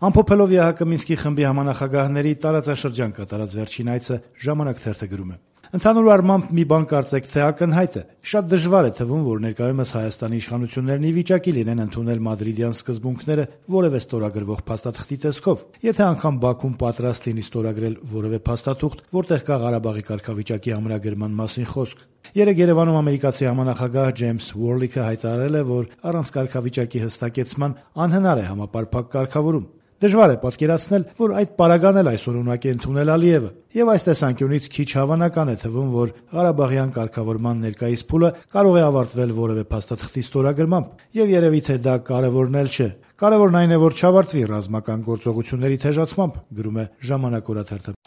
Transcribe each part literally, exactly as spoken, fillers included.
Ամփոփելով ԵԱՀԿ Մինսկի խմբի համանախագահների տարածաշրջան կատարած վերջին այցը «Ժամանակ» թերթը գրում է. «Ընդհանուր առմամբ մի բան կարծեք թե ակնհայտ է. շատ դժվար է թվում, որ ներկայումս Հայաստանի իշխանություններն ի վիճակի լինեն ընդունել մադրիդյան սկզբունքները որևէ ստորագրվող փաստաթղթի տեսքով, եթե անգամ Բաքուն պատրաստ լինի ստորագրել որևէ փաստաթուղթ, որտեղ կա Ղարաբաղի կարգավիճակի ամրագրման մասին խոսք։ Երեկ Երևանում ամերիկացի համանախագահ Ջեյմս Ուորլիքը հայտարարել է, որ առանց կարգավիճակի հստակեցման անհնար է համապարփակ կարգավորում։ Դժվար է պատկերացնել, որ այդ պարագան էլ այսօր ունակ է ընդունել Ալիևը, եւ այս տեսանկյունից քիչ հավանական է թվում, որ Ղարաբաղյան կարգավորման ներկայիս փուլը կարող է ավարտվել որևէ փաստաթղթի ստորագրմամբ, եւ երևի թե դա կարեւորն էլ չէ։ Կարեւորն այն է, որ չավարտվի ռազմական գործողությունների թեժացմամբ», գրում է «Ժամանակ» օրաթերթը։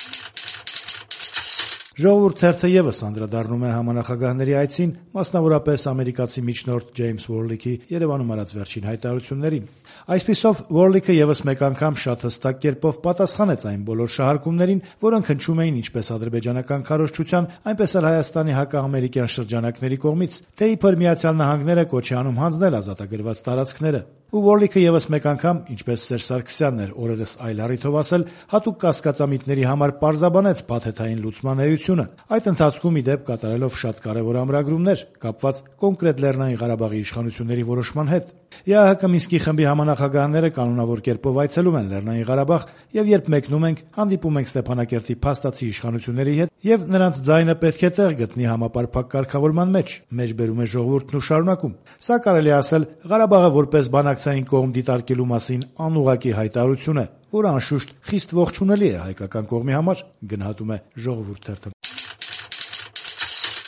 «Ժողովուրդ» թերթը եւս անդրադառնում է համանախագահների այցին, մասնավորապես ամերիկացի միջնորդ Ջեյմս Ուորլիքի Երևանում արած վերջին հայտարարություններին։ Այսպիսով Ուորլիքը եւս մեկ անգամ շատ հստակ կերպով պատասխանեց այն բոլոր շահարկումներին, որոնք հնչում էին ինչպես ադրբեջանական քարոզչության, այնպես էլ Հայաստանի հակաամերիկյան շրջանակների կողմից, թե իբր Միացյալ Նահանգները կոչ է անում հանձնել ազատագրված տարածքները։ Ու Ուորլիքը եւս մեկ անգամ, ինչպես Սերժ Սարգսյանն էր օրերս այլ առիթով ասել, հատուկ կասկածամիտների համար պարզաբանեց փաթեթային լուծման էությունը, այդ ընթացքում ի դեպ կատարելով շատ կարևոր ամրագրումներ, կապված կոնկրետ Լեռնային Ղարաբաղի իշխանությունների որոշման հետ։ ԵԱՀԿ Մինսկի խմբի համանախագահները կանոնավոր կերպով այցելում են Լեռնային Ղարաբաղ, եւ երբ մեկնում ենք, հանդիպում ենք Ստեփանակերտի փաստացի իշխանությունների հետ, եւ նրանց ձայնը պետք է տեղ գտնի համապարփակ կարգավորման մեջ, մեջբերում է Ժողովուրդն ու շարունակում։ Սա կարելի է ասել Ղարաբաղը որպես բանակցային կողմ դիտարկելու մասին անուղղակի հայտարարություն է, որը անշուշտ խիստ ողջունելի է հայկական կողմի համար, գնահատում է Ժողովուրդ թերթը։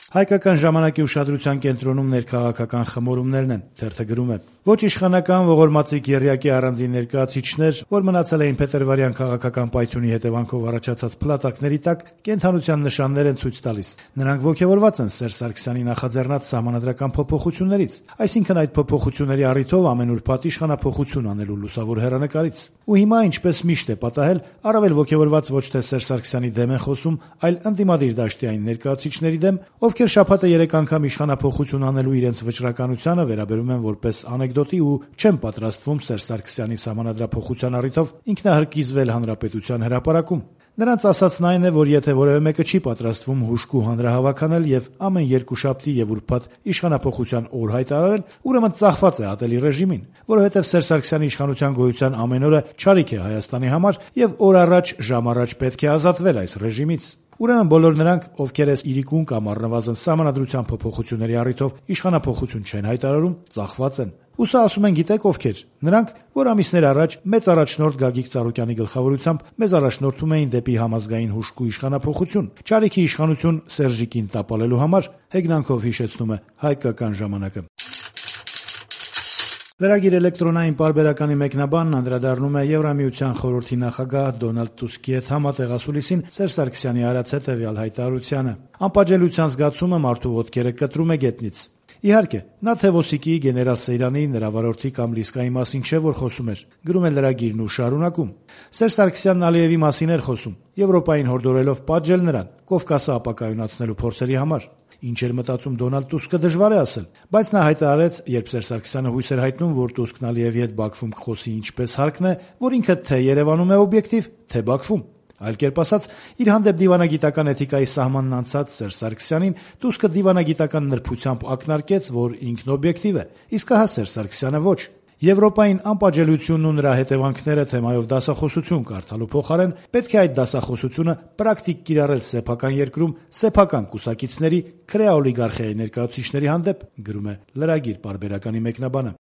Հայկական ժամանակի ուշադրության կենտրոնում ներքաղաքական խմորումներն են, թերթը գրում է. «Ոչ իշխանական ողորմածիկ եռյակի առանձին ներկայացուցիչներ, որ մնացել էին Փետրվարյան քաղաքական պայթյունի հետևանքով առաջացած փլատակների տակ, կենդանության նշաններ են ցույց տալիս։ Նրանք ոգևորված են Սերժ Սարգսյանի նախաձեռնած սահմանադրական փոփոխություններից, այսինքն այդ փոփոխությունների առիթով ամեն ուրբաթ իշխանափոխություն անելու լուսավոր հեռանկարից։ Ու հիմա, ինչպես միշտ է պատահել, առավել ոգևորված ոչ թե Սերժ Սարգսյանի դեմ են խոսում, այլ ընդդիմադիր դաշտի այն ներկայացուցիչների դեմ, ովքեր շաբաթը երեք անգամ իշխանափոխություն անելու իրենց վճռականությանը վերաբերում են որպես անեկդոտի ու չեն պատրաստվում Սերժ Սարգսյանի սահմանադրափոխության առիթով ինքնահրկիզվել հանրապետության հրապարակում։ Նրանց ասածն այն է, որ եթե որևէ մեկը չի պատրաստվում հուժկու հանրահավաք անել եւ ամեն երկուշաբթի եւ ուրբաթ իշխանափոխության օր հայտարարել, ուրեմն ծախված է ատելի ռեժիմին, որովհետեւ Սերժ Սարգսյանի իշխանության գոյության ամեն օրը չարիք է Հայաստանի համար եւ օր առաջ, ժամ առաջ պետք է ազատվել այս ռեժիմից։ Ուրեմն բոլոր նրանք, ովքեր այս իրիկուն կամ առնվազն սահմանադրության փոփոխությունների առիթով իշխանափոխություն չեն հայտարարում, ծախված են։ Ու սա ասում են գիտեք ովքեր։ Նրանք, որ ամիսներ առաջ մեծ առաջնորդ Գագիկ Ծառուկյանի գլխավորությամբ մեզ առաջնորդում էին դեպի համազգային հուժկու իշխանափոխություն, չարիքի իշխանություն Սերժիկին տապալելու համար, հեգնանքով հիշեցնում է Հայկական ժամանակը։ Լրագիր էլեկտրոնային պարբերականի մեկնաբանն անդրադառնում է Եվրամիության խորհրդի նախագահ Դոնալդ Տուսկի հետ համատեղ ասուլիսին Սերժ Սարգսյանի արած հետևյալ հայտարարությանը. «Անպատժելիության զգացումը մարդու ոտքերը կտրում է գետնից։ Իհարկե, նա Թևոսիկի, գեներալ Սեյրանի, նրա վարորդի կամ Լիսկայի մասին չէ, որ խոսում էր», գրում է լրագիրն ու շարունակում. «Սերժ Սարգսյանն Ալիևի մասին էր խոսում, Եվրոպային հորդորելով պատժել նրան, Կովկասը ապակայունացնելու փորձերի համար։ Ինչ էր մտածում Դոնալդ Տուսկը դժվար է ասել, բայց նա հայտարարեց, երբ Սերժ Սարգսյանը հույս էր հայտնում, որ Տուսկն Ալիևի հետ Բաքվում կխոսի ինչպես հարկն է, որ ինքը թե Երևանում է օբյեկտիվ, թե Բաքվում։ Այլ կերպ ասած, իր հանդեպ դիվանագիտական էթիկայի սահմանն անցած Սերժ Սարգսյանին Տուսկը դիվանագիտական նրբությամբ ակնարկեց, որ ինքն օբյեկտիվ է, իսկ ահա Սերժ Սարգսյանը ոչ։ Եվրոպային անպատժելիությունն ու նրա հետևանքները թեմայով դասախոսություն կարդալու փոխարեն պետք է այդ դասախոսությունը պրակտիկ կիրառել սեփական երկրում սեփական կուսակիցների, քրեա օլիգարխիայի ներկայացուցիչների հանդեպ», գրում է լրագիր պարբերականի մեկնաբանը։